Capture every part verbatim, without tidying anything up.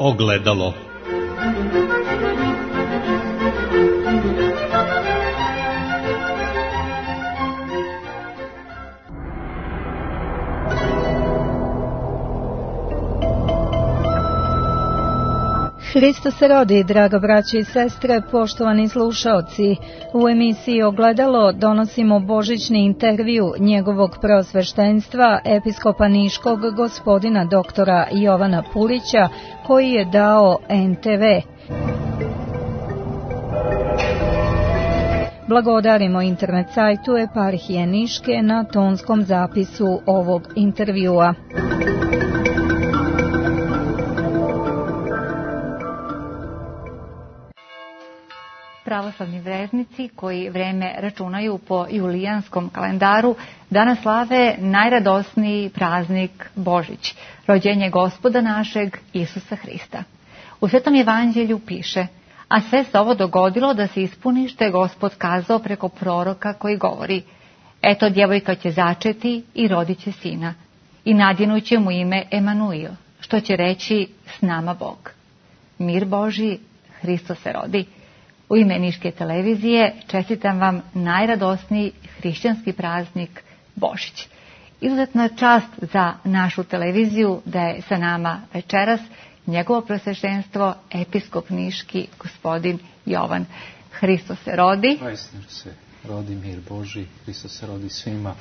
Ogledalo. Hristos se rodi, draga braće i sestre, poštovani slušaoci. U emisiji Ogledalo donosimo božićni intervju njegovog preosveštenstva, episkopa Niškog gospodina doktora Jovana Pulića, koji je dao en te ve. Blagodarimo internet sajtu Eparhije Niške na tonskom zapisu ovog intervjua. Pravoslavni vernici koji vreme računaju po julijanskom kalendaru danas slave najradosniji praznik Božić, rođenje Gospoda našeg Isusa Hrista. U Svetom evanđelju piše: a sve se ovo dogodilo da se ispuni što je Gospod kazao preko proroka koji govori: eto, djevojka će začeti i rodit će sina, i nadjenuće mu ime Emanuil, što će reći s nama Bog. Mir Božji, Hristos se rodi. U ime Niške televizije čestitam vam najradosniji hrišćanski praznik Božić. Izuzetna čast za našu televiziju da je sa nama večeras njegovo preosveštenstvo episkop Niški gospodin Jovan. Hristos se rodi. Vaistinu se rodi mir Božji. Hristos se rodi svima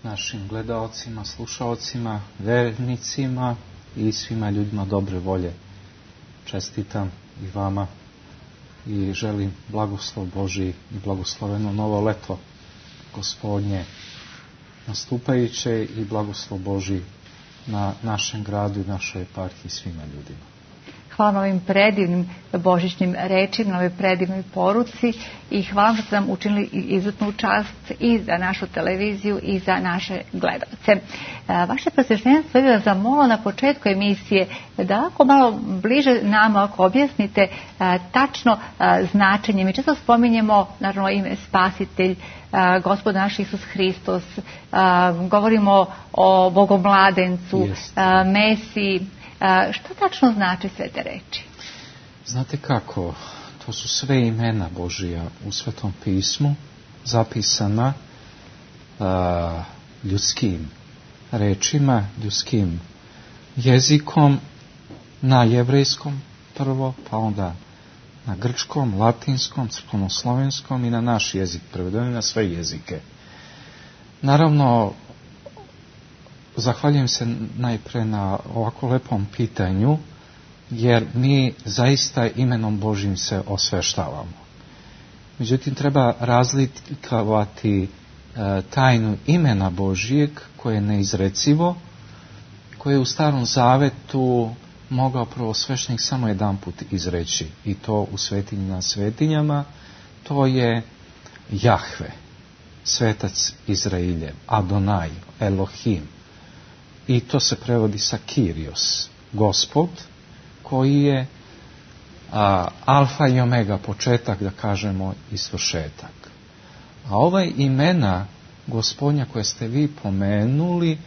našim gledaocima, slušaocima, vernicima i svima ljudima dobre volje. Čestitam i vama i želim blagoslov Božji i blagosloveno novo leto Gospodnje nastupajuće i blagoslov Božji na našem gradu i našoj eparhiji svima ljudima. Hvala na ovim predivnim božićnim rečima, na ovoj predivnoj poruci i hvala što ste nam učinili izuzetnu čast i za našu televiziju i za naše gledalce. Vaše preosveštenstvo je zamolilo na početku emisije da ako malo bliže nama, ako objasnite tačno značenje. Mi često spominjemo naravno ime Spasitelj, Gospod naš Isus Hristos, govorimo o Bogomladencu, yes. Mesiji. Što tačno znači sve te reči? Znate kako, to su sve imena Božija u Svetom pismu, zapisana uh, ljudskim rečima, ljudskim jezikom, na jevrejskom prvo, pa onda na grčkom, latinskom, crkvenoslovenskom i na naš jezik, prevedeni na sve jezike. Naravno, zahvaljujem se najpre na ovako lepom pitanju, jer mi zaista imenom Božjim se osveštavamo. Međutim, treba razlikovati e, tajnu imena Božjeg, koje je neizrecivo, koje je u Starom Zavetu mogao prvosveštenik samo jedan put izreći, i to u svetinji na svetinjama. To je Jahve, svetac Izrailjev, Adonai, Elohim. I to se prevodi sa Kyrios, Gospod, koji je a, alfa i omega, početak, da kažemo, i svršetak. A ovaj imena Gospodnja koje ste vi pomenuli,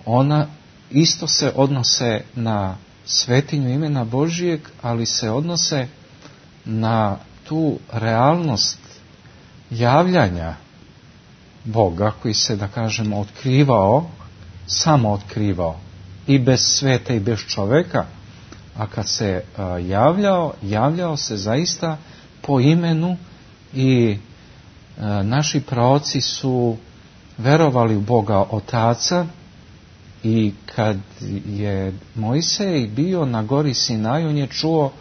ona isto se odnose na svetinju imena Božijeg, ali se odnose na tu realnost javljanja Boga, koji se, da kažemo, otkrivao, samo otkrivao i bez sveta i bez čoveka, a kad se a, javljao, javljao se zaista po imenu i a, naši praoci su verovali u Boga Otaca. I kad je Mojsej bio na gori Sinaj, on je čuo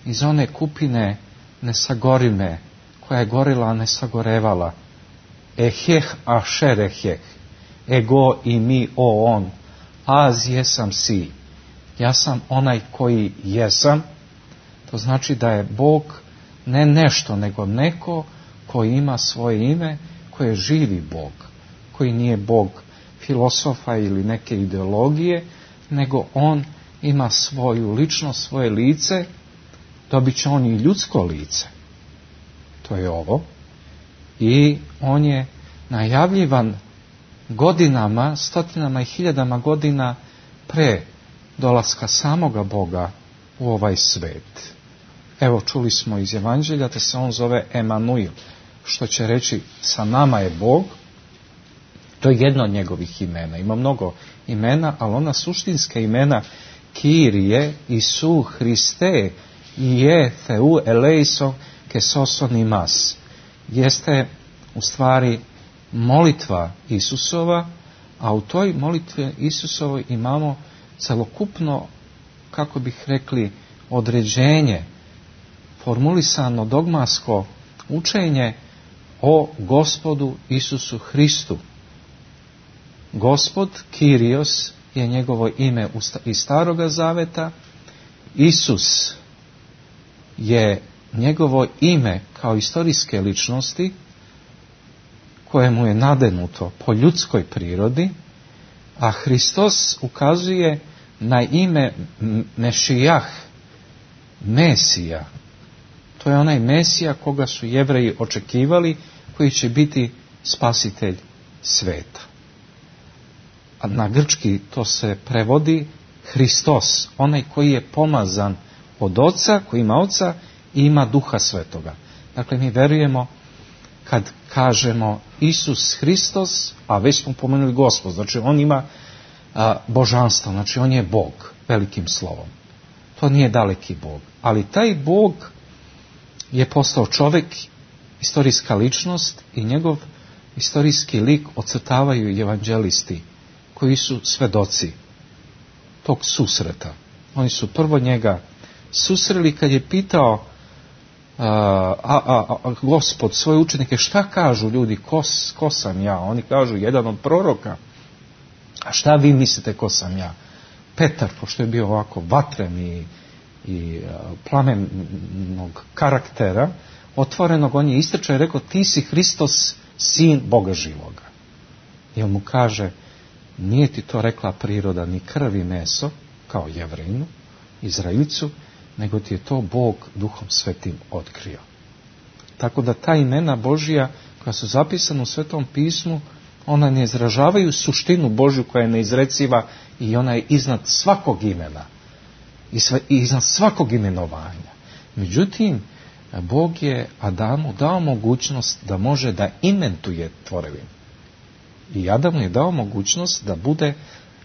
iz one kupine nesagorive, koja je gorila, a ne sagorevala: eheh ašer eheh, ego i mi o on, az jesam si. Ja sam onaj koji jesam. To znači da je Bog ne nešto, nego neko koji ima svoje ime, koji je živi Bog, koji nije Bog filosofa ili neke ideologije, nego on ima svoju ličnost, svoje lice. Dobit će on i ljudsko lice. To je ovo. I on je najavljivan godinama, stotinama i hiljadama godina pre dolaska samoga Boga u ovaj svet. Evo, čuli smo iz Evanđelja da se on zove Emanuil, što će reći sa nama je Bog. To je jedno od njegovih imena. Ima mnogo imena, ali ona suštinska imena Kirije, Isu, Hriste, je Theu eleison ke soson imas, jeste u stvari molitva Isusova, a u toj molitvi Isusovoj imamo celokupno, kako bih rekli, određenje, formulisano dogmatsko učenje o Gospodu Isusu Hristu. Gospod, Kyrios, je njegovo ime iz Staroga Zaveta. Isus je njegovo ime kao istorijske ličnosti kojemu je nadenuto po ljudskoj prirodi, a Hristos ukazuje na ime Mešijah, Mesija. To je onaj Mesija koga su Jevreji očekivali, koji će biti spasitelj sveta. A na grčki to se prevodi Hristos, onaj koji je pomazan od Oca, koji ima Oca i ima Duha Svetoga. Dakle, mi verujemo kad kažemo Isus Hristos, a već smo pomenuli Gospod, znači on ima a, božanstvo, znači on je Bog, velikim slovom. To nije daleki Bog, ali taj Bog je postao čovjek, istorijska ličnost, i njegov istorijski lik ocrtavaju evanđelisti koji su svedoci tog susreta. Oni su prvo njega susreli kad je pitao a, a, a, a Gospod svoje učenike, šta kažu ljudi, ko, ko sam ja? Oni kažu, jedan od proroka. A šta vi mislite ko sam ja? Petar, pošto je bio ovako vatren i, i plamenog karaktera, otvorenog, on je istrčao i rekao, ti si Hristos, sin Boga živoga. I on mu kaže, nije ti to rekla priroda, ni krv i meso, kao Jevrejinu, Izraelicu, nego ti je to Bog Duhom Svetim otkrio. Tako da ta imena Božja koja su zapisana u Svetom pismu, ona ne izražavaju suštinu Božju koja je neizreciva i ona je iznad svakog imena i, sve, i iznad svakog imenovanja. Međutim, Bog je Adamu dao mogućnost da može da inventuje tvorevinu. I Adamu je dao mogućnost da bude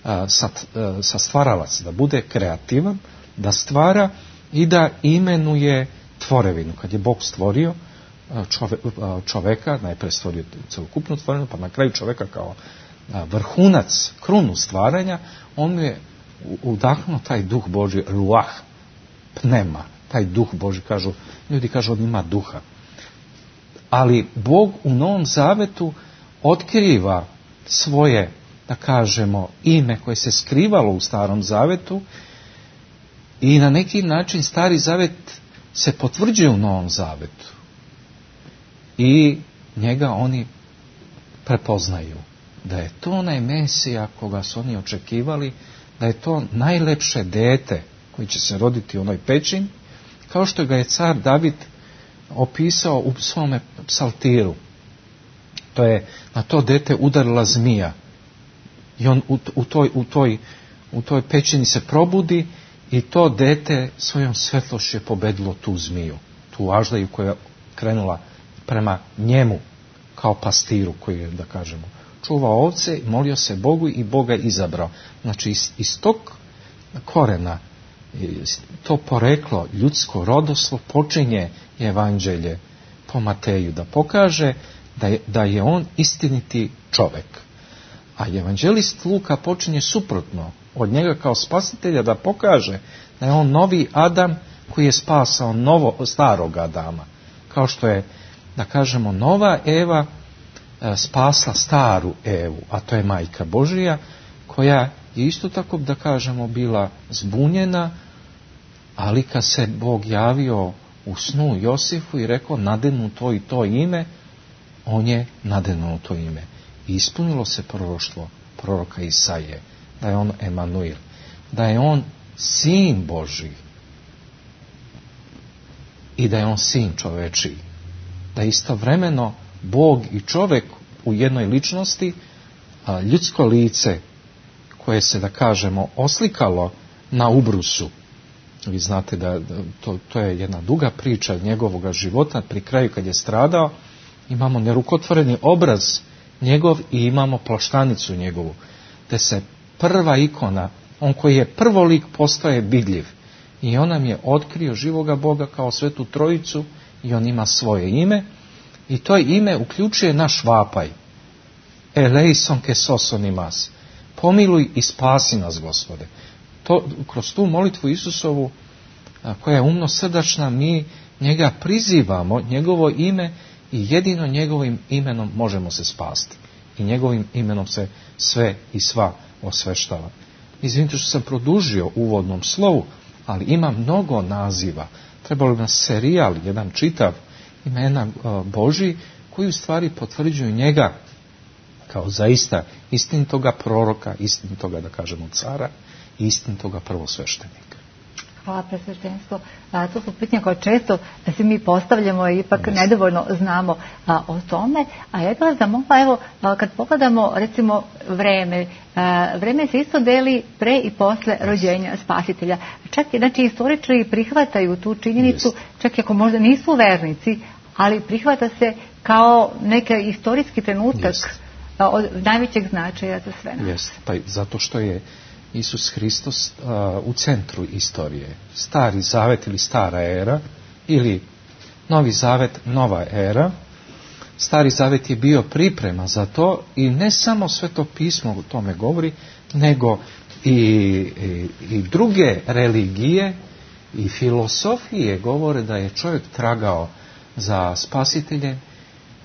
a, sat, a, sastvaralac, da bude kreativan, da stvara i da imenuje tvorevinu. Kad je Bog stvorio čove, čoveka, najprije stvorio celokupnu tvorevinu, pa na kraju čoveka kao vrhunac, krunu stvaranja, on je udahnuo taj duh Božji, ruah, pnema, taj duh Božji, kažu, ljudi kažu, on ima duha. Ali Bog u Novom Zavetu otkriva svoje, da kažemo, ime koje se skrivalo u Starom Zavetu i na neki način Stari Zavet se potvrđuje u Novom Zavetu. I njega oni prepoznaju. Da je to onaj Mesija koga su oni očekivali, da je to najlepše dete koji će se roditi u onoj pećini, kao što ga je car David opisao u svome psaltiru. To je na to dete udarila zmija. I on u, u, toj, u, toj, u toj pećini se probudi i to dete svojom svetlošću je pobedilo tu zmiju, tu aždaju koja je krenula prema njemu kao pastiru koji je, da kažemo, čuvao ovce, molio se Bogu i Boga izabrao. Znači iz, iz tog korena, to poreklo, ljudsko rodoslo, počinje evanđelje po Mateju, da pokaže da je, da je on istiniti čovek. A evanđelist Luka počinje suprotno od njega kao spasitelja, da pokaže da je on novi Adam koji je spasao novo, starog Adama. Kao što je, da kažemo, nova Eva spasla staru Evu, a to je Majka Božija, koja je isto tako, da kažemo, bila zbunjena, ali kad se Bog javio u snu Josifu i rekao nadenu to i to ime, on je nadenuo to ime. I ispunilo se proroštvo proroka Isaije, da je on Emanuil, da je on sin Božji i da je on sin čovečiji. Da istovremeno Bog i čovjek u jednoj ličnosti, a ljudsko lice koje se, da kažemo, oslikalo na ubrusu. Vi znate da to, to je jedna duga priča njegovog života. Pri kraju kad je stradao, imamo nerukotvoreni obraz njegov i imamo plaštanicu njegovu, te se prva ikona, on koji je prvo lik, postaje vidljiv. I on nam je otkrio živoga Boga kao Svetu Trojicu i on ima svoje ime. I to ime uključuje naš vapaj. Eleison ke sosonimas. Pomiluj i spasi nas, Gospode. To, kroz tu molitvu Isusovu, koja je umno srdačna, mi njega prizivamo, njegovo ime, i jedino njegovim imenom možemo se spasti. I njegovim imenom se sve i sva osveštava. Izvinite što sam produžio u uvodnom slovu, ali ima mnogo naziva. Trebalo bi nas serijal, jedan čitav imena Božji, koji u stvari potvrđuju njega kao zaista istinitoga proroka, istinitoga, da kažemo, cara i istinitoga prvosveštenika. Hvala, presveštenstvo. To su pitanja koje često da se mi postavljamo i ipak yes. nedovoljno znamo a, o tome. A ja bih vas zamolila, evo, a, kad pogledamo recimo vreme, a, vreme se isto deli pre i posle yes. rođenja Spasitelja. Čak i, znači, istoričari prihvataju tu činjenicu, yes. čak i ako možda nisu vernici, ali prihvata se kao neki istorijski trenutak yes. a, od najvećeg značaja za sve nas. Yes. Pa zato što je Isus Hristos uh, u centru istorije. Stari zavet ili stara era, ili Novi zavet, nova era. Stari zavet je bio priprema za to i ne samo Sveto pismo o tome govori, nego i, i, i druge religije i filosofije govore da je čovjek tragao za spasiteljem,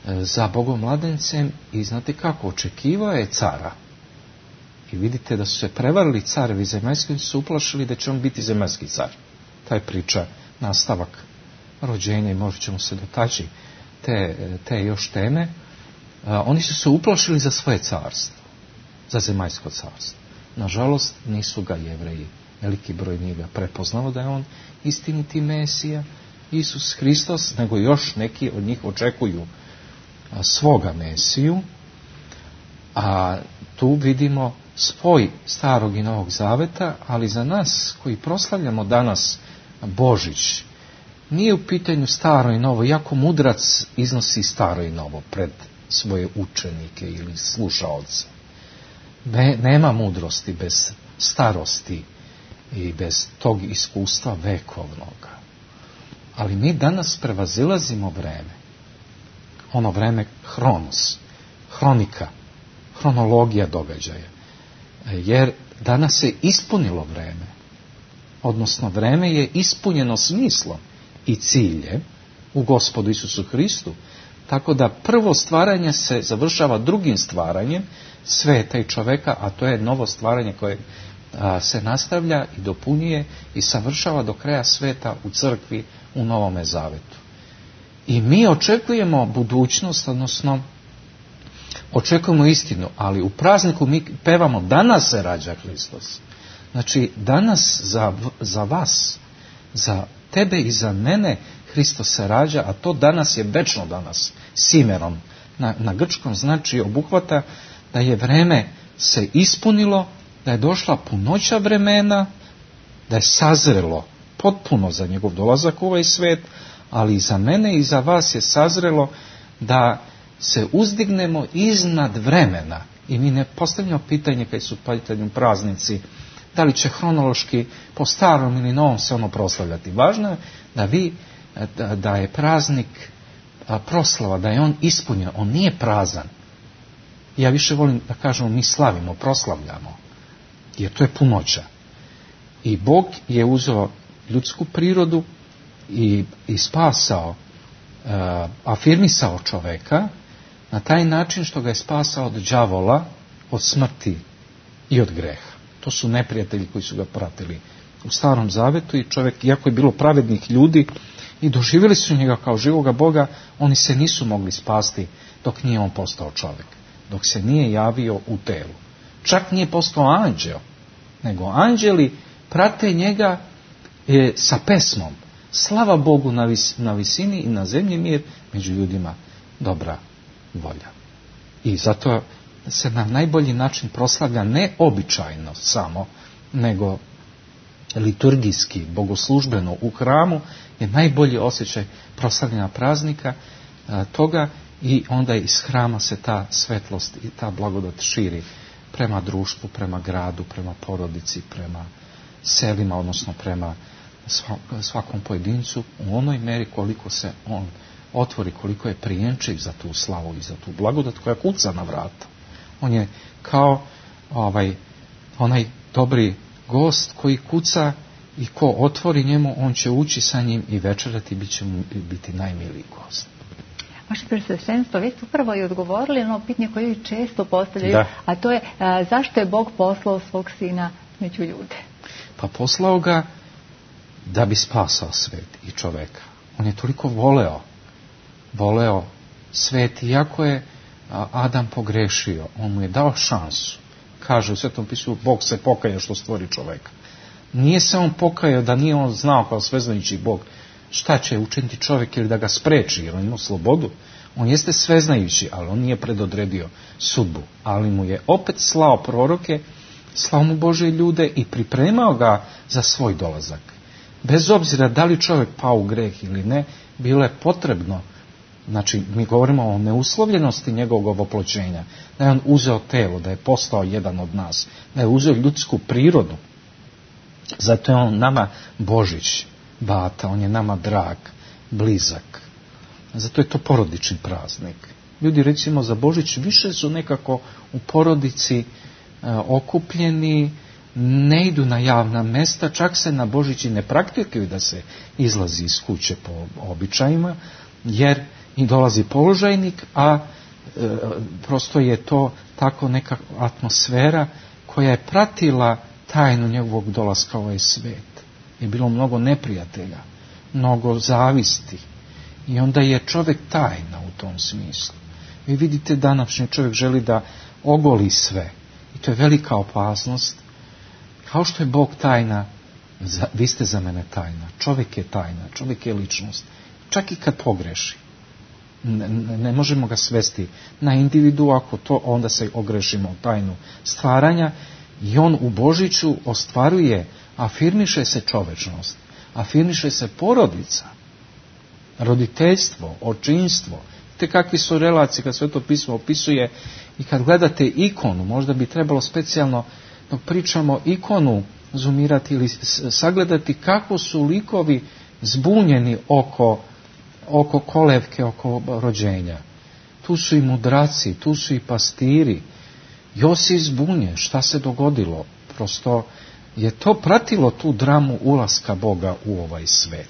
za Bogomladencem i znate kako, očekivao je cara. I vidite da su se prevarili carevi zemaljski, oni su uplašili da će on biti zemaljski car. Ta je priča, nastavak rođenja i možda ćemo se dotaći te, te još teme. A, oni su se uplašili za svoje carstvo, za zemaljsko carstvo. Nažalost, nisu ga Jevreji, veliki broj nije ga prepoznao da je on istiniti Mesija, Isus Hristos, nego još neki od njih očekuju a, svoga Mesiju. A tu vidimo spoj starog i novog zaveta, ali za nas koji proslavljamo danas Božić, nije u pitanju staro i novo, iako mudrac iznosi staro i novo pred svoje učenike ili slušaoce. Ne, nema mudrosti bez starosti i bez tog iskustva vekovnoga. Ali mi danas prevazilazimo vreme, ono vreme hronos, hronika, hronologija događaja. Jer danas se ispunilo vreme, odnosno vreme je ispunjeno smislom i ciljem u Gospodu Isusu Hristu, tako da prvo stvaranje se završava drugim stvaranjem sveta i čoveka, a to je novo stvaranje koje a, se nastavlja i dopunjuje i savršava do kraja sveta u crkvi u Novome Zavetu. I mi očekujemo budućnost, odnosno očekujemo istinu, ali u prazniku mi pevamo danas se rađa Hristos. Znači danas za, za vas, za tebe i za mene Hristos se rađa, a to danas je večno danas, simerom. Na, na grčkom znači obuhvata da je vreme se ispunilo, da je došla punoća vremena, da je sazrelo potpuno za njegov dolazak u ovaj svet, ali i za mene i za vas je sazrelo da se uzdignemo iznad vremena. I mi ne postavljamo pitanje kad su pitanju praznici, da li će hronološki po starom ili novom se ono proslavljati. Važno je da vi, da, da je praznik proslava, da je on ispunjen, on nije prazan. Ja više volim da kažemo mi slavimo, proslavljamo, jer to je punoća. I Bog je uzeo ljudsku prirodu i, i spasao, uh, afirmisao čoveka na taj način što ga je spasao od đavola, od smrti i od greha. To su neprijatelji koji su ga pratili u Starom Zavetu i čovjek, iako je bilo pravednih ljudi i doživjeli su njega kao živoga Boga, oni se nisu mogli spasti dok nije on postao čovjek, dok se nije javio u telu. Čak nije postao anđeo, nego anđeli prate njega e, sa pesmom. Slava Bogu na, vis, na visini i na zemlji mir, među ljudima dobra volja. I zato se na najbolji način proslavlja ne običajno samo, nego liturgijski, bogoslužbeno u hramu je najbolji osjećaj proslavljena praznika a, toga i onda iz hrama se ta svetlost i ta blagodat širi prema društvu, prema gradu, prema porodici, prema selima, odnosno prema svakom pojedincu u onoj meri koliko se on otvori, koliko je prijenčiv za tu slavu i za tu blagodat koja kuca na vrata. On je kao ovaj, onaj dobri gost koji kuca i ko otvori njemu, on će ući sa njim i večerati i bit će mu biti najmiliji gost. Vaše Preosveštenstvo, vi ste upravo i odgovorili na ono pitanje koje često postavljaju, da. A to je a, zašto je Bog poslao svog sina među ljude? Pa poslao ga da bi spasao svet i čoveka. On je toliko voleo, voleo svet, iako je Adam pogrešio, on mu je dao šansu. Kaže u Svetom pisu, Bog se pokaja što stvori čoveka. Nije se on pokajao da nije on znao kao sveznajući Bog šta će učiniti čovjek ili da ga spreči, jer on ima slobodu. On jeste sveznajući, ali on nije predodredio sudbu. Ali mu je opet slao proroke, slao mu Božje ljude i pripremao ga za svoj dolazak. Bez obzira da li čovjek pao u greh ili ne, bilo je potrebno, znači mi govorimo o neuslovljenosti njegovog oploćenja, da je on uzeo telo, da je postao jedan od nas, da je uzeo ljudsku prirodu. Zato je on nama Božić, bata, on je nama drag, blizak. Zato je to porodični praznik. Ljudi recimo za Božić više su nekako u porodici e, okupljeni, ne idu na javna mesta, čak se na Božić i ne praktikuju da se izlazi iz kuće po običajima, jer i dolazi položajnik, a e, prosto je to tako neka atmosfera koja je pratila tajnu njegovog dolaska u ovaj svet. Je bilo mnogo neprijatelja, mnogo zavisti. I onda je čovjek tajna u tom smislu. Vi vidite današnji čovjek želi da ogoli sve. I to je velika opasnost. Kao što je Bog tajna, vi ste za mene tajna. Čovjek je tajna, čovjek je ličnost. Čak i kad pogreši. Ne, ne možemo ga svesti na individu, ako to onda se ogrešimo u tajnu stvaranja. I on u Božiću ostvaruje, afirmiše se čovečnost, afirmiše se porodica, roditeljstvo, očinstvo. Te kakvi su relacije kad Sveto pismo opisuje i kad gledate ikonu, možda bi trebalo specijalno dok pričamo ikonu zoomirati ili sagledati kako su likovi zbunjeni oko, oko kolevke, oko rođenja. Tu su i mudraci, tu su i pastiri. Josif zbunje, šta se dogodilo? Prosto je to pratilo tu dramu ulaska Boga u ovaj svet.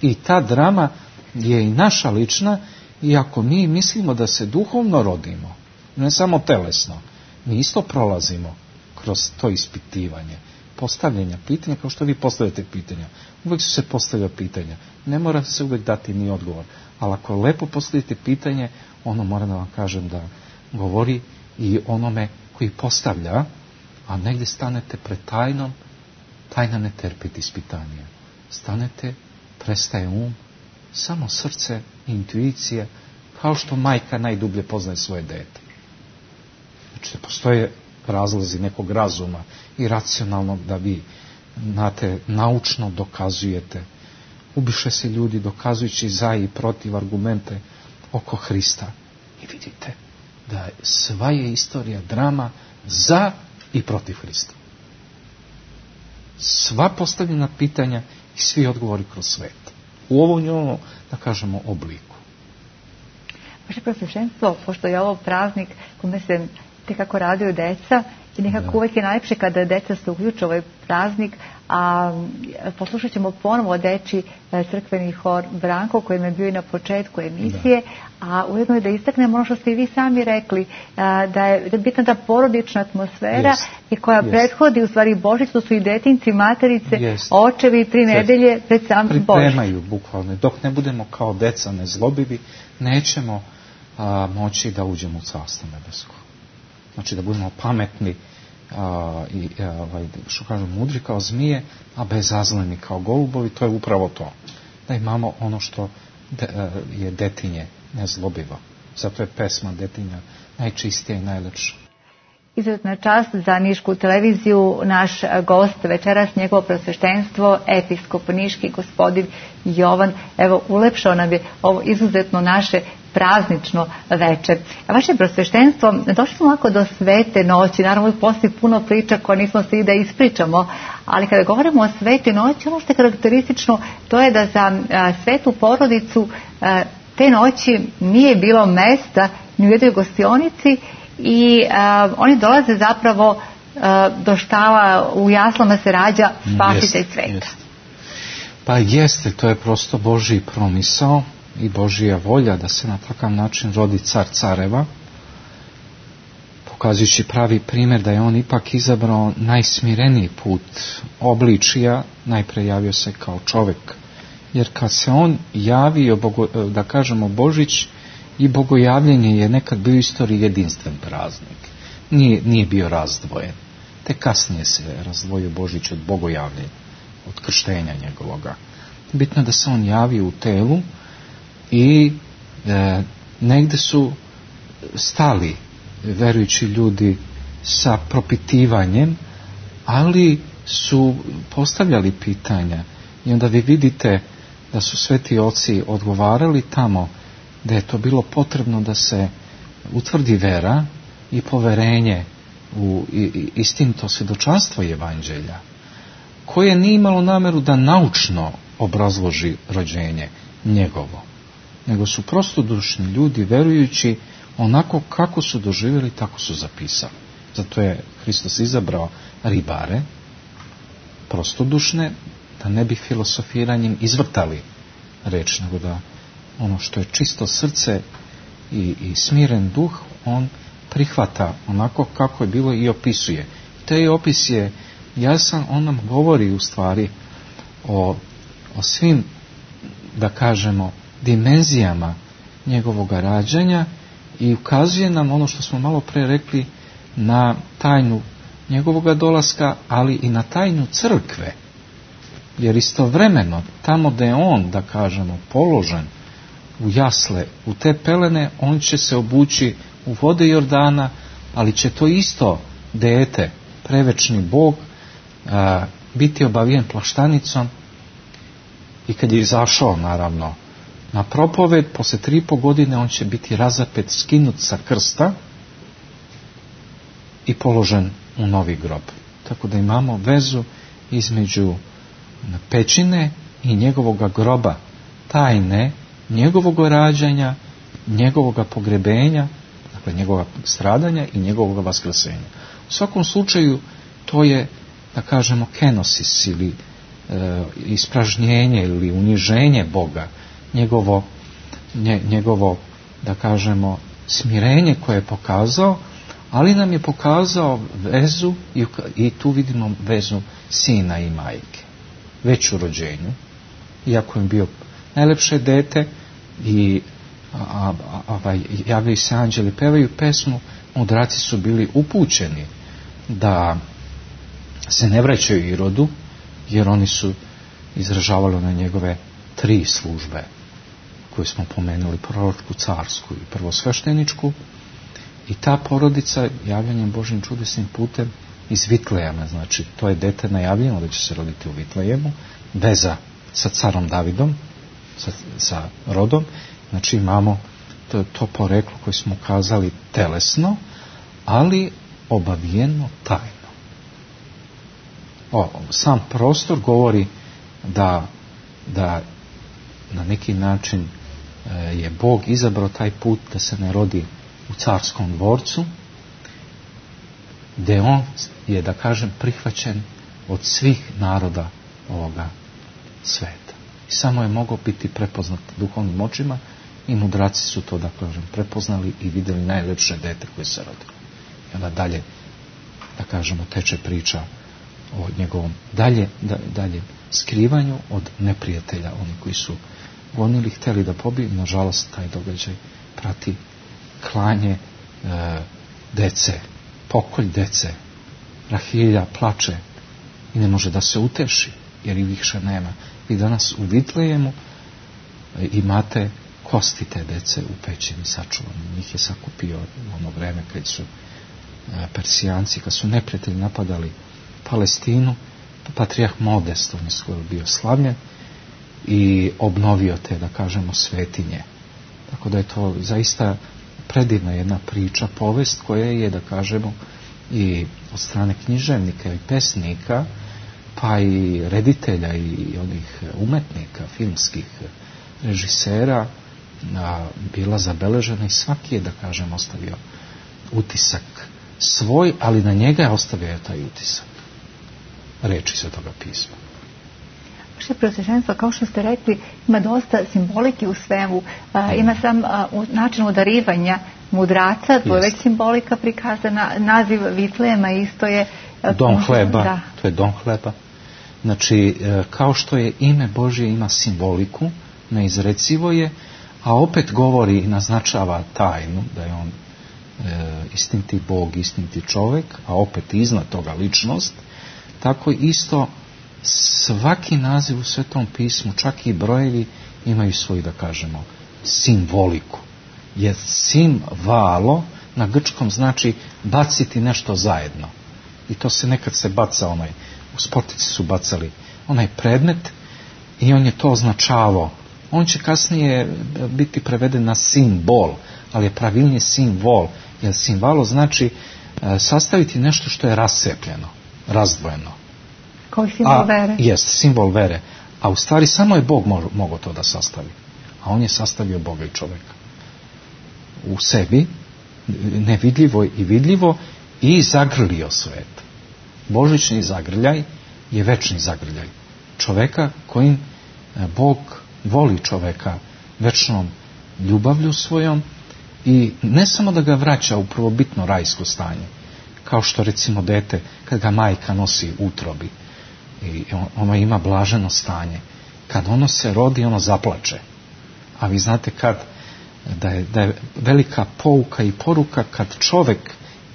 I ta drama je i naša lična, i ako mi mislimo da se duhovno rodimo, ne samo telesno, mi isto prolazimo kroz to ispitivanje, postavljanja pitanja, kao što vi postavljate pitanja. Uvijek su se postavlja pitanja. Ne mora se uvijek dati ni odgovor. Ali ako lepo postavite pitanje, ono mora da vam kažem da govori i onome koji postavlja, a negdje stanete pred tajnom, tajna ne trpi ispitanje. Stanete, prestaje um, samo srce, intuicija, kao što majka najdublje poznaje svoje dete. Znači, postoje razlozi nekog razuma i racionalnog da vi, znate, naučno dokazujete. Ubiše se ljudi dokazujući za i protiv argumente oko Hrista. I vidite da sva je istorija drama za i protiv Hrista. Sva postavljena pitanja i svi odgovori kroz svet. U ovom njemu, da kažemo, obliku. Vaše Preosveštenstvo, pošto je ovo praznik kome se tekako raduju deca i nekako da. Uvijek je najlepše kada deca se uključe ovaj praznik, a poslušat ćemo ponovo deči crkveni hor Branko koji je bio i na početku emisije, da. A ujedno je da istaknemo ono što ste i vi sami rekli, da je bitna ta porodična atmosfera yes. i koja yes. prethodi u stvari Božić, to su i detinci, materice, yes. očevi, tri yes. nedelje pred sam Božić. Pripremaju bukvalno. Dok ne budemo kao deca nezlobivi, nećemo a, moći da uđemo u Carstvo nebesko. Znači da budemo pametni a, i a, što kažu mudri kao zmije, a bezazleni kao golubovi, to je upravo to. Da imamo ono što de, a, je detinje nezlobivo. Zato je pesma detinja najčistija i najlepša. Izuzetna čast za Nišku televiziju, naš gost večeras, njegovo prosveštenstvo, episkop niški gospodin Jovan. Evo, ulepšao nam je ovo izuzetno naše praznično večer. A vaše prosveštenstvo, došli smo ovako do svete noći, naravno postoji puno priča koje nismo svi da ispričamo, ali kada govorimo o svete noći, ono što je karakteristično, to je da za a, svetu porodicu a, te noći nije bilo mesta ni u jednoj gostionici i a, oni dolaze zapravo a, do štala, u jaslama se rađa spasitelj sveta. Jest. Pa jeste, to je prosto Božji promisao i Božja volja da se na takav način rodi car careva, pokazujući pravi primjer da je on ipak izabrao najsmireniji put obličija, najpre javio se kao čovjek, jer kad se on javio, da kažemo Božić i bogojavljenje je nekad bio u istoriji jedinstven praznik, nije, nije bio razdvojen, te kasnije se razdvojio Božić od bogojavljenja, od krštenja njegovoga. Bitno da se on javio u telu i e, negdje su stali verujući ljudi sa propitivanjem, ali su postavljali pitanja i onda vi vidite da su sveti oci odgovarali tamo da je to bilo potrebno da se utvrdi vera i poverenje u istinito svjedočanstvo evanđelja, koje nije imalo namjeru da naučno obrazloži rođenje njegovo, nego su prostodušni ljudi verujući onako kako su doživjeli, tako su zapisali. Zato je Hristos izabrao ribare, prostodušne, da ne bi filosofiranjem izvrtali reč, nego da ono što je čisto srce i, i smiren duh, on prihvata onako kako je bilo i opisuje. Taj opis je jasan, on nam govori u stvari o, o svim, da kažemo, dimenzijama njegovoga rađanja i ukazuje nam ono što smo malo pre rekli na tajnu njegovoga dolaska, ali i na tajnu crkve. Jer istovremeno, tamo gdje je on, da kažemo, položen u jasle, u te pelene, on će se obući u vode Jordana, ali će to isto dete, prevečni Bog, a, biti obavijen plaštanicom i kad je izašao, naravno, na propoved, poslije tri i po godine on će biti razapet, skinut sa krsta i položen u novi grob. Tako da imamo vezu između pećine i njegovoga groba, tajne njegovog rađanja, njegovog pogrebenja, dakle njegovog stradanja i njegovog vaskrsenja. U svakom slučaju to je, da kažemo, kenosis ili e, ispražnjenje ili uniženje Boga, njegovo, nje, njegovo, da kažemo, smirenje koje je pokazao, ali nam je pokazao vezu i, i tu vidimo vezu sina i majke, već u rođenju, iako je bio najlepše dete i a, a, a, javljaju se anđeli, pevaju pesmu, mudraci su bili upućeni da se ne vraćaju Irodu, jer oni su izražavali na njegove tri službe koju smo pomenuli, proročku, carsku i prvosvešteničku, i ta porodica javljanjem Božjim čudesnim putem iz Vitlejama, znači to je dete najavljeno da će se roditi u Vitlejemu, veza sa carom Davidom, sa, sa rodom, znači imamo to, to poreklo koje smo kazali telesno, ali obavijeno tajno. O, sam prostor govori da, da na neki način e, je Bog izabrao taj put da se ne rodi u carskom dvorcu, gdje on je, da kažem, prihvaćen od svih naroda ovoga sveta. I samo je mogao biti prepoznat duhovnim očima i mudraci su to, da kažem, prepoznali i vidjeli najlepše dete koje se rodilo. I onda dalje, da kažemo, teče priča o njegovom dalje, da, dalje skrivanju od neprijatelja, oni koji su gonili, htjeli da pobiju, nažalost taj događaj prati klanje e, dece, pokolj dece. Rahilja plače i ne može da se uteši, jer i više nema. Vi danas u Vitlejemu e, imate kosti te dece u pećini sačuvane. Njih je sakupio u ono vreme kad su Persijanci, kad su neprijatelji napadali Palestinu, Patrijah Modest, on je skoro bio slavljen i obnovio te, da kažemo, svetinje. Tako da je to zaista predivna jedna priča, povest koja je, da kažemo, i od strane književnika i pesnika, pa i reditelja i onih umetnika, filmskih režisera, a, bila zabeležena i svaki je, da kažem, ostavio utisak svoj, ali na njega je ostavio taj utisak reči Svetoga pisma. Vaše Preosveštenstvo, kao što ste rekli, ima dosta simbolike u svemu. A, ima sam a, u načinu darivanja mudraca, to je već simbolika prikazana. Naziv Vitlejema isto je... A, dom hleba, da. To je dom hleba. Znači, kao što je ime Božje ima simboliku, neizrecivo je, a opet govori i naznačava tajnu, da je on e, istiniti Bog, istiniti čovjek, a opet iznad toga ličnost, tako isto svaki naziv u Svetom pismu, čak i brojevi, imaju svoju, da kažemo, simboliku. Jer simvalo na grčkom znači baciti nešto zajedno. I to se nekad se baca onaj, u sportici su bacali onaj predmet i on je to označavao. On će kasnije biti preveden na simbol, ali je pravilnije simbol, jer simbalo znači e, sastaviti nešto što je rascepljeno, razdvojeno. Kao i simbol vere. Jest, simbol vere. A u stvari samo je Bog mo- mogao to da sastavi. A on je sastavio Boga i čovjeka. U sebi, nevidljivo i vidljivo, i zagrlio svet. Božićni zagrljaj je večni zagrljaj čoveka kojim Bog voli čoveka večnom ljubavlju svojom i ne samo da ga vraća u prvobitno rajsko stanje, kao što recimo dete kad ga majka nosi u utrobi i ono ima blaženo stanje. Kad ono se rodi, ono zaplače. A vi znate kad da je, da je velika pouka i poruka kad čovek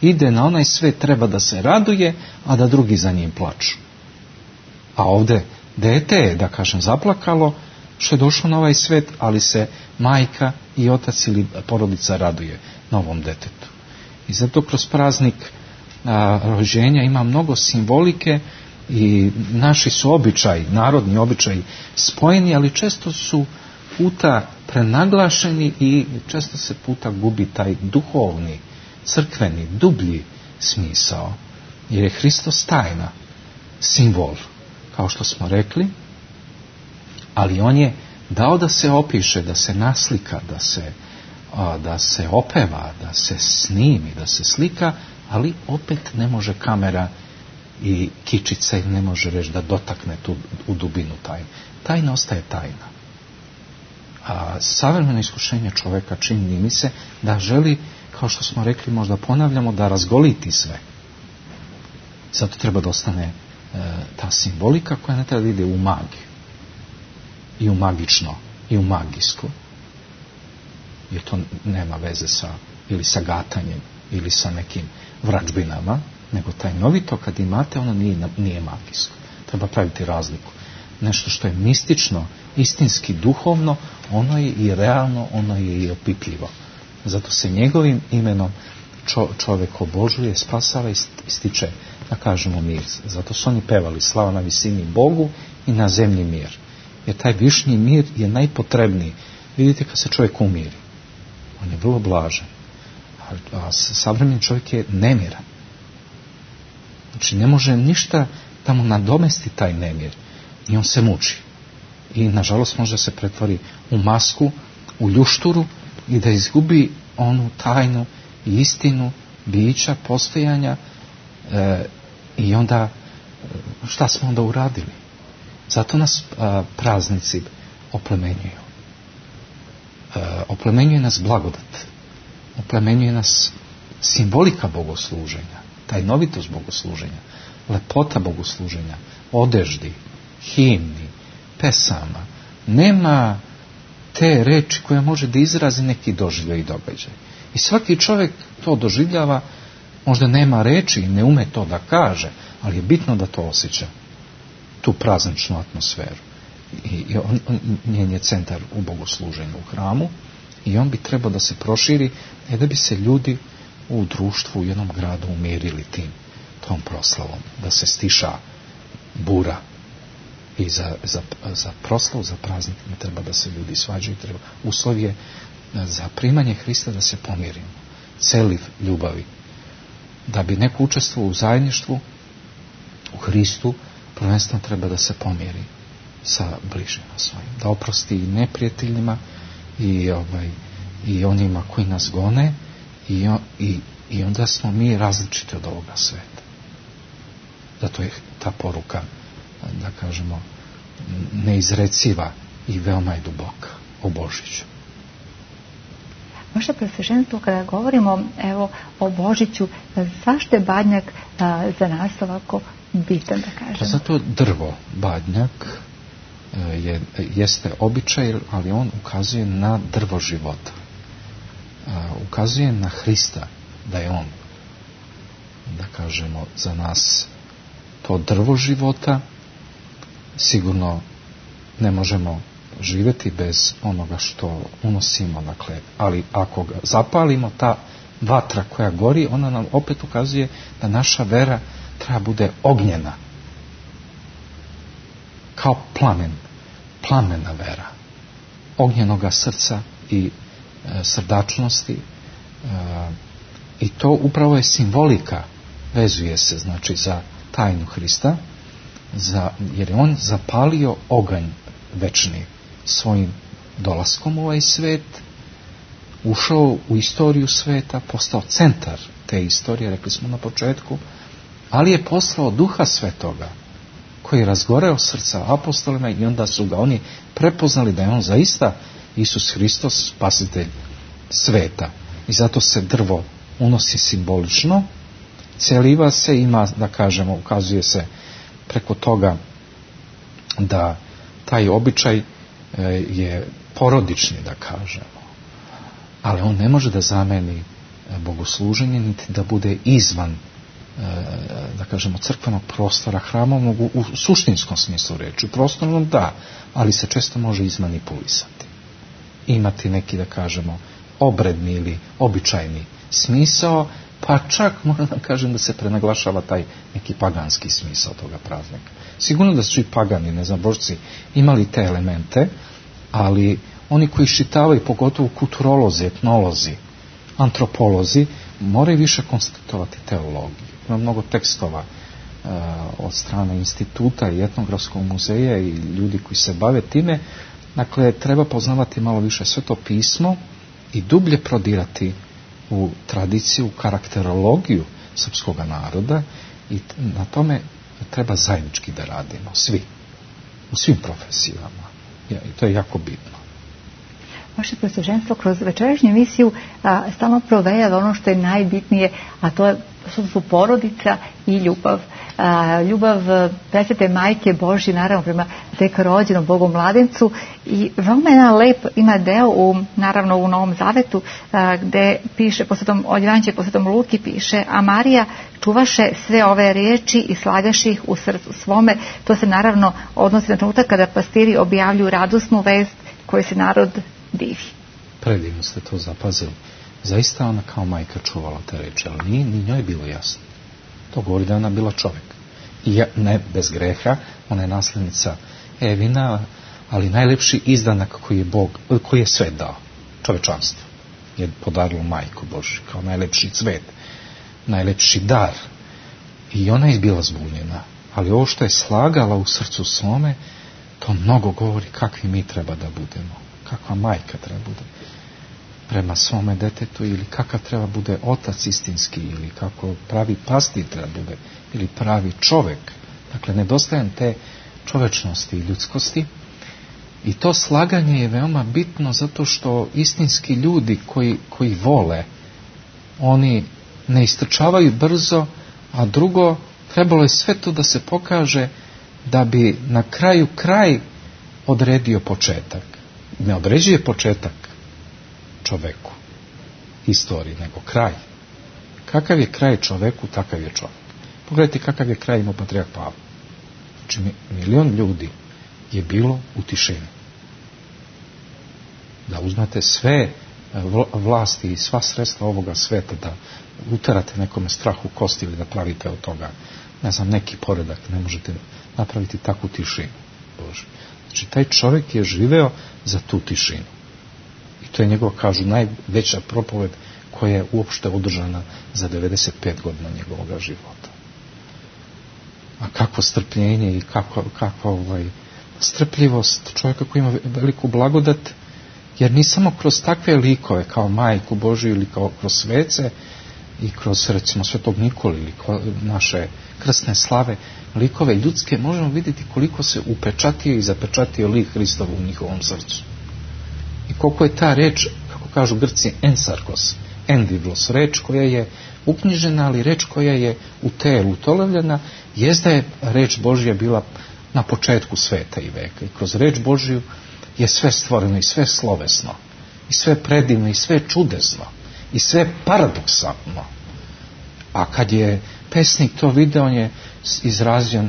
ide na onaj svet, treba da se raduje, a da drugi za njim plaču. A ovdje dete je, da kažem, zaplakalo što je došlo na ovaj svet, ali se majka i otac ili porodica raduje novom detetu. I zato kroz praznik a, rođenja ima mnogo simbolike i naši su običaji, narodni običaji spojeni, ali često su puta prenaglašeni i često se puta gubi taj duhovni, crkveni, dublji smisao. Jer je Hristos tajna, simbol, kao što smo rekli, ali on je dao da se opiše, da se naslika, da se, a, da se opeva, da se snimi, da se slika, ali opet ne može kamera i kičica ne može reći da dotakne tu u dubinu tajne. Tajna ostaje tajna. A savremeno iskušenje čovjeka čini mi se da želi, kao što smo rekli, možda ponavljamo, da razgoliti sve. Zato treba da ostane e, ta simbolika koja ne treba da ide u magiju. I u magično, i u magijsko. Jer to nema veze sa, ili sa gatanjem, ili sa nekim vračbinama, nego tajnovito kad imate, ono nije, nije magijsko. Treba praviti razliku. Nešto što je mistično, istinski, duhovno, ono je i realno, ono je i opipljivo. Zato se njegovim imenom čo, čovjek obožuje, spasava i stiče, da kažemo, mir. Zato su oni pevali slava na visini Bogu i na zemlji mir. Jer taj višnji mir je najpotrebniji. Vidite kad se čovjek umiri. On je vrlo blažen. A, a savremeni čovjek je nemiran. Znači ne može ništa da mu nadomesti taj nemir. I on se muči. I nažalost može se pretvori u masku, u ljušturu i da izgubi onu tajnu i istinu bića, postojanja e, i onda šta smo onda uradili? Zato nas a, praznici oplemenjuju. E, oplemenjuje nas blagodat. Oplemenjuje nas simbolika bogosluženja, tajnovitost bogosluženja, lepota bogosluženja, odeždi, himni, pesama. Nema te reči koja može da izrazi neki doživljaj i događaj. I svaki čovjek to doživljava, možda nema reči i ne ume to da kaže, ali je bitno da to osjeća, tu prazničnu atmosferu. I, i on, on, njen je centar u bogosluženju u hramu i on bi trebao da se proširi, e da bi se ljudi u društvu, u jednom gradu umirili tim, tom proslavom, da se stiša bura. I za, za, za proslavu, za praznik ne treba da se ljudi svađaju, treba uslov je za primanje Hrista da se pomirimo, celiv ljubavi. Da bi neko učestvovao u zajedništvu u Hristu, prvenstveno treba da se pomiri sa bližnjima svojim, da oprosti i neprijateljima i, ovaj, i onima koji nas gone i, i, i onda smo mi različiti od ovoga sveta. Zato je ta poruka, da kažemo, neizreciva i veoma je duboka o Božiću. Vaše Preosveštenstvo, kada govorimo evo, o Božiću, zašto je badnjak a, za nas ovako bitan, da kažemo? Pa zato drvo, badnjak, je, jeste običaj, ali on ukazuje na drvo života. A, ukazuje na Hrista, da je on, da kažemo, za nas to drvo života. Sigurno ne možemo živjeti bez onoga što unosimo, dakle, ali ako ga zapalimo, ta vatra koja gori, ona nam opet ukazuje da naša vera treba bude ognjena, kao plamen, plamena vera, ognjenoga srca i e, srdačnosti, e, i to upravo je simbolika, vezuje se, znači, za tajnu Hrista, za, jer je on zapalio oganj večni svojim dolaskom u ovaj svet, ušao u istoriju sveta, postao centar te istorije, rekli smo na početku, ali je poslao Duha Svetoga koji je razgoreo srca apostolima i onda su ga oni prepoznali da je on zaista Isus Hristos, spasitelj sveta. I zato se drvo unosi simbolično, celiva se, ima, da kažemo, ukazuje se preko toga da taj običaj je porodični, da kažemo, ali on ne može da zameni bogosluženje, niti da bude izvan, da kažemo, crkvenog prostora hrama, mogu u suštinskom smislu reći, u prostornom da, ali se često može izmanipulisati, imati neki, da kažemo, obredni ili običajni smisao, pa čak moram da kažem da se prenaglašava taj neki paganski smisao toga praznika. Sigurno da su i pagani, ne znam, božci imali te elemente, ali oni koji iščitavaju, pogotovo kulturolozi, etnolozi, antropolozi, moraju više konstatovati teologiju. Ima mnogo tekstova uh, od strane instituta i etnografskog muzeja i ljudi koji se bave time. Dakle, treba poznavati malo više Sveto pismo i dublje prodirati u tradiciju, karakterologiju srpskog naroda, i na tome treba zajednički da radimo, svi, u svim profesijama. I to je jako bitno. Vaše Preosveštenstvo kroz večerašnju emisiju a, stalno provejava ono što je najbitnije, a to je, su, su porodica i ljubav. A, ljubav presvete Majke Božje, naravno, prema tek rođenom Bogu mladencu, i veoma jedan lep ima deo u, naravno, u Novom Zavetu, a, gde piše, po Svetom, od Evanđelja po Svetom Luki piše: a Marija čuvaše sve ove riječi i slagaše ih u srcu svome. To se naravno odnosi na trenutak kada pastiri objavljuju radosnu vest koju se narod divi. Predivno ste to zapazili. Zaista ona kao majka čuvala te reči, ali nije ni njoj bilo jasno. To govori da ona bila čovjek. I ja, ne bez greha, ona je naslednica Evina, ali najlepši izdanak koji je Bog, koji je svet dao, čovečanstvo, je podarilo majku Božju kao najlepši cvet, najlepši dar. I ona je bila zbunjena. Ali ovo što je slagala u srcu svome, to mnogo govori kakvi mi treba da budemo. Kakva majka treba bude prema svome detetu, ili kakav treba bude otac istinski, ili kako pravi pastir treba bude, ili pravi čovek. Dakle, nedostajem te čovečnosti i ljudskosti. I to slaganje je veoma bitno zato što istinski ljudi koji, koji vole, oni ne istrčavaju brzo, a drugo, trebalo je sve to da se pokaže da bi na kraju kraj odredio početak. Ne određuje početak čoveku, istoriji, nego kraj. Kakav je kraj čoveku, takav je čovek. Pogledajte kakav je kraj imao patrijarh Pavle. Znači, milion ljudi je bilo u tišini. Da uzmete sve vlasti i sva sredstva ovoga sveta da uterate nekome strah u kosti ili da pravite od toga, ne znam, neki poredak, ne možete napraviti takvu tišinu. Bože. Znači, taj čovjek je živeo za tu tišinu. I to je njegov, kažu, najveća propoved koja je uopšte održana za devedeset pet godina njegovog života. A kakvo strpljenje i kakva, kakva ovaj, strpljivost čovjeka koji ima veliku blagodat, jer ni samo kroz takve likove kao Majku Božiju ili kao kroz svece i kroz, recimo, Svetog Nikolu ili naše krsne slave, likove ljudske, možemo vidjeti koliko se upečatio i zapečatio lik Hristov u njihovom srcu. I koliko je ta reč, kako kažu Grci, ensarkos, endivlos, reč koja je uknjižena, ali reč koja je u telu utolavljena, jest da je reč Božja bila na početku sveta i veka. I kroz reč Božju je sve stvoreno i sve slovesno, i sve predivno, i sve čudesno, i sve paradoksalno. A kad je pesnik to video, on je izrazio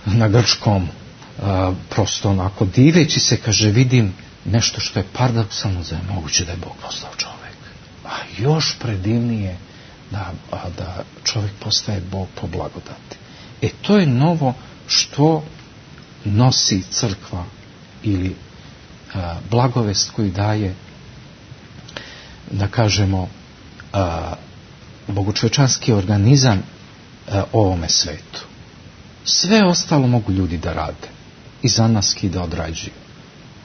na grčkom, a, prosto onako diveći se, kaže, vidim nešto što je paradoksalno, da je moguće da je Bog postao čovjek. A još predivnije da, a, da čovjek postaje Bog po blagodati. E to je novo što nosi crkva ili a, blagovest koju daje, da kažemo, a, bogočovečanski organizam a, ovome svetu. Sve ostalo mogu ljudi da rade i za nas i da odrađuju.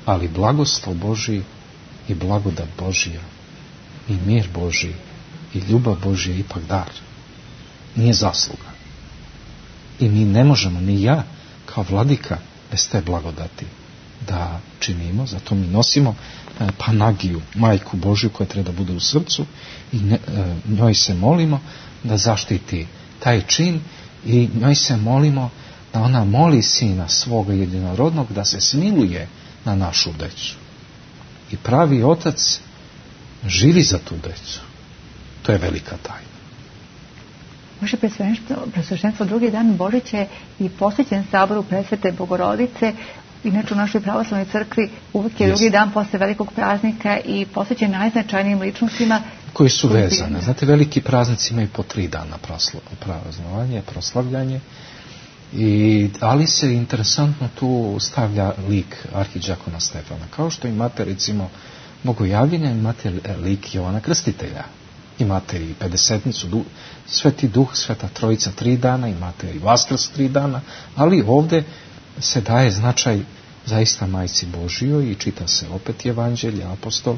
Ali blagoslov Božji i blagodat Božja i mir Božji i ljubav Božja je ipak dar. Nije zasluga. I mi ne možemo, ni ja kao vladika, bez te blagodati da činimo. Zato mi nosimo Panagiju, Majku Božju, koja treba da bude u srcu, i ne, njoj se molimo da zaštiti taj čin i njoj se molimo da ona moli Sina svoga jedinorodnog da se smiluje na našu decu. I pravi otac živi za tu decu. To je velika tajna. Vaše presveštenstvo drugi dan Božića je i posvećen saboru Presvete Bogorodice. Inače u našoj pravoslavnoj crkvi uvijek je drugi dan posle velikog praznika i posvećen najznačajnijim ličnostima koji su vezane. Znate, veliki praznici imaju po tri dana praznovanje, proslavljanje, i, ali se interesantno tu stavlja lik arhidžakona Stefana. Kao što imate, recimo, Bogojavljenja, imate lik Jovana Krstitelja. Imate i pedesetnicu, Sveti Duh, Sveta Trojica tri dana, imate i Vaskrs tri dana, ali ovdje se daje značaj zaista Majci Božjoj i čita se opet Evanđelje, apostol.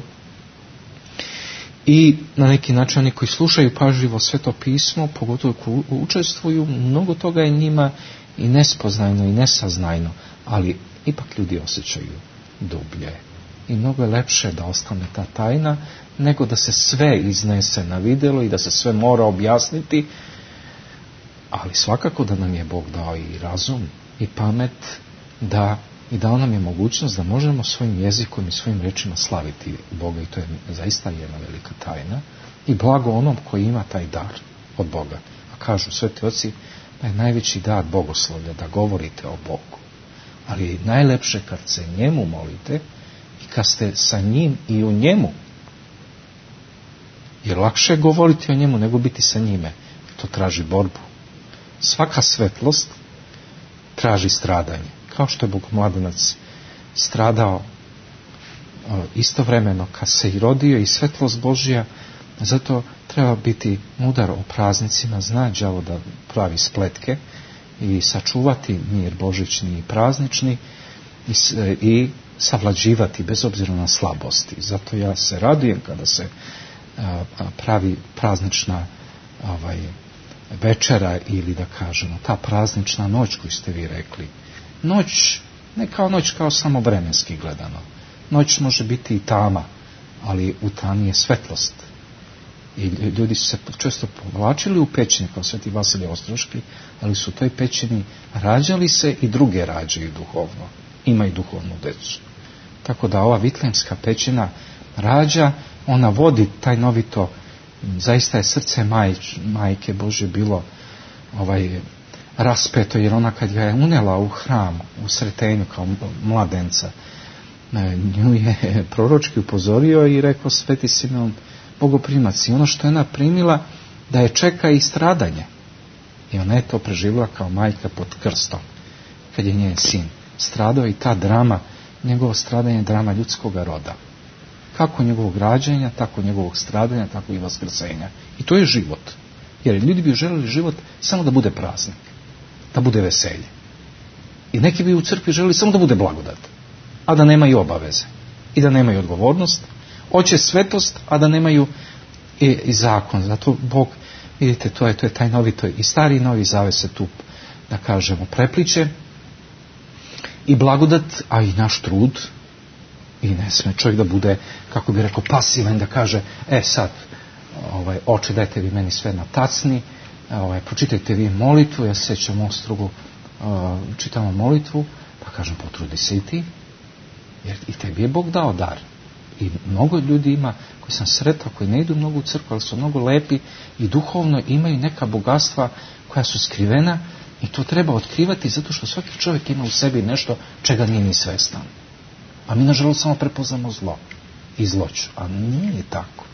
I na neki način oni koji slušaju pažljivo Sveto pismo, pogotovo koji učestvuju, mnogo toga je njima i nespoznajno i nesaznajno, ali ipak ljudi osjećaju dublje. I mnogo je lepše da ostane ta tajna, nego da se sve iznese na vidjelo i da se sve mora objasniti, ali svakako da nam je Bog dao i razum i pamet, da i dao nam je mogućnost da možemo svojim jezikom i svojim rečima slaviti Boga, i to je zaista jedna velika tajna i blago onom koji ima taj dar od Boga. A kažu sveti oci da je najveći dar bogoslovlja, da govorite o Bogu, ali je najlepše kad se njemu molite i kad ste sa njim i u njemu, jer lakše je govoriti o njemu nego biti sa njime. To traži borbu. Svaka svetlost traži stradanje. Kao što je Bogomladenac stradao istovremeno kad se i rodio i svetlost Božja, zato treba biti mudar o praznicima, zna đavo da pravi spletke i sačuvati mir božićni i praznični i, i savlađivati bez obzira na slabosti. Zato ja se radujem kada se a, pravi praznična ovaj, večera ili da kažemo ta praznična noć koju ste vi rekli. Noć, ne kao noć kao samo vremenski gledano. Noć može biti i tama, ali u tami je svetlost. I ljudi su se često povlačili u pećine kao Sveti Vasilije Ostroški, ali su u toj pećini rađali se i druge rađaju duhovno. Ima i duhovnu decu. Tako da ova Vitlejemska pećina rađa, ona vodi taj novito, zaista je srce majč, majke Božje bilo ovaj raspeto, jer ona kad ga je unela u hram, u Sretenju kao mladenca, nju je proročki upozorio i rekao Sveti Simeon Bogoprimac. I ono što je ona primila, da je čeka i stradanje. I ona je to preživjela kao majka pod krstom, kad je njen sin stradao. I ta drama, njegovo stradanje je drama ljudskog roda. Kako njegovog rađanja, tako njegovog stradanja, tako i vaskrsenja. I to je život. Jer ljudi bi želeli život samo da bude praznik, da bude veselje. I neki bi u crkvi želeli samo da bude blagodat, a da nemaju obaveze i da nemaju odgovornost. Hoće svetost, a da nemaju i, i zakon. Zato Bog, vidite, to je, to je taj novi, to je i stari i novi zavet se tu, da kažemo, prepliče. I blagodat, a i naš trud. I ne sme čovjek da bude, kako bi rekao, pasivan, da kaže, e sad, ovaj, oče, dajte vi meni sve na tacni, ovaj, pročitajte vi molitvu, ja se sjećam Ostrogu, uh, čitamo molitvu, pa kažem, potrudi se i ti, jer i tebi je Bog dao dar. I mnogo ljudi ima, koji sam sretao, koji ne idu mnogo u crkvu, ali su mnogo lepi i duhovno imaju neka bogatstva koja su skrivena i to treba otkrivati zato što svaki čovjek ima u sebi nešto čega nije ni svestan. A mi nažalost samo prepoznamo zlo i zloć, a nije tako.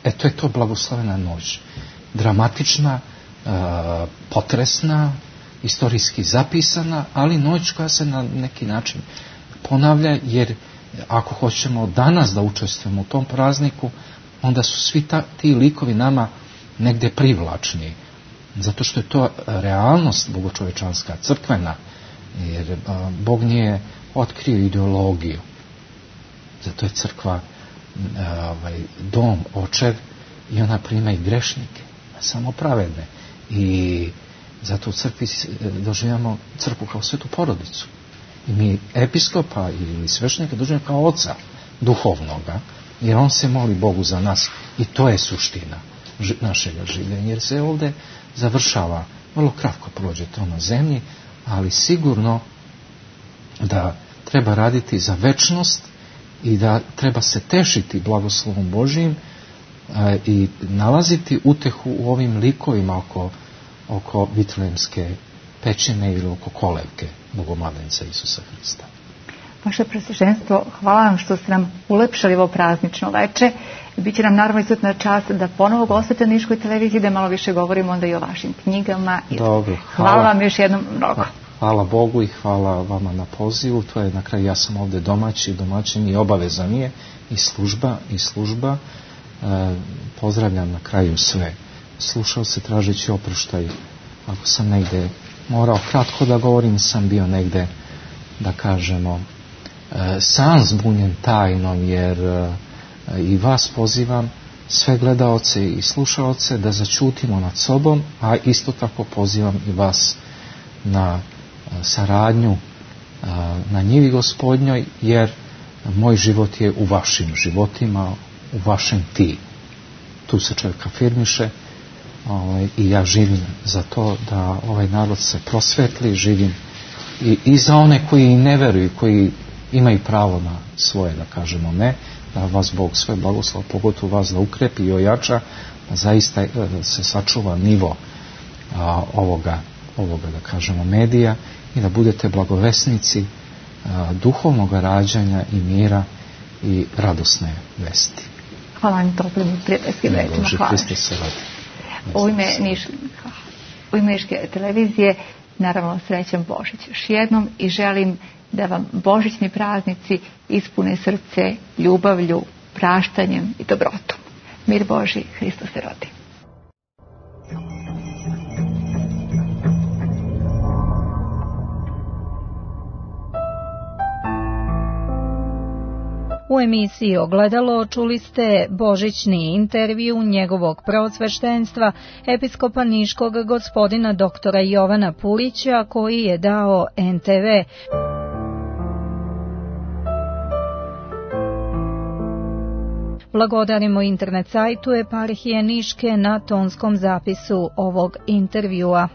E to je to blagoslovena noć. Dramatična, e, potresna, istorijski zapisana, ali noć koja se na neki način ponavlja, jer ako hoćemo danas da učestvujemo u tom prazniku, onda su svi ta, ti likovi nama negdje privlačni. Zato što je to realnost bogočovečanska, crkvena, jer a, Bog nije otkrio ideologiju. Zato je crkva a, ovaj, dom, očev, i ona prima i grešnike, samo pravedne. I zato u crkvi doživljamo crkvu kao svetu porodicu. I mi episkopa ili sveštenika doživljamo kao oca duhovnoga, jer on se moli Bogu za nas. I to je suština našega življenja, jer se ovdje završava, vrlo kratko prođe to na zemlji, ali sigurno da treba raditi za večnost i da treba se tešiti blagoslovom Božijim a, i nalaziti utehu u ovim likovima oko, oko Vitlejemske pećine ili oko kolevke Bogomladenca Isusa Hrista. Vaše presveštenstvo, hvala vam što ste nam ulepšali ovo praznično veče. Biće nam naravno izuzetna čast da ponovo gostujete na Niškoj televiziji, da malo više govorimo onda i o vašim knjigama. Dobro, hvala, hvala vam još jednom mnogo. Hvala Bogu i hvala vama na pozivu. To je na kraju, ja sam ovdje domaći, domaćin i obaveza mi je i služba i služba. E, pozdravljam na kraju sve. Slušao se tražeći oproštaj. Ako sam negdje morao kratko da govorim, sam bio negdje, da kažemo, e, sam zbunjen tajnom, jer e, i vas pozivam, sve gledaoce i slušaoce, da začutimo nad sobom, a isto tako pozivam i vas na saradnju na njivi Gospodnjoj, jer moj život je u vašim životima, u vašem ti. Tu se čovjek afirmiše ovaj, i ja živim za to da ovaj narod se prosvetli, živim i, i za one koji ne veruju, koji imaju pravo na svoje, da kažemo ne, da vas Bog sve blagoslov, pogotovo vas da ukrepi i ojača, da zaista se sačuva nivo a, ovoga, ovoga, da kažemo, medija i da budete blagovesnici a, duhovnog rađanja i mira i radosne vesti. Hvala vam toplim i prijateljskim rečima. Hvala. U ime, Niš, u ime Niške televizije, naravno, srećan Božić još jednom i želim da vam božićni praznici ispune srce ljubavlju, praštanjem i dobrotom. Mir Božji, Hristos se rodi. U emisiji Ogledalo čuli ste božićni intervju njegovog preosveštenstva, episkopa Niškog gospodina doktora Jovana Pulića, koji je dao en te ve. Blagodarimo internet sajtu Eparhije Niške na tonskom zapisu ovog intervjua.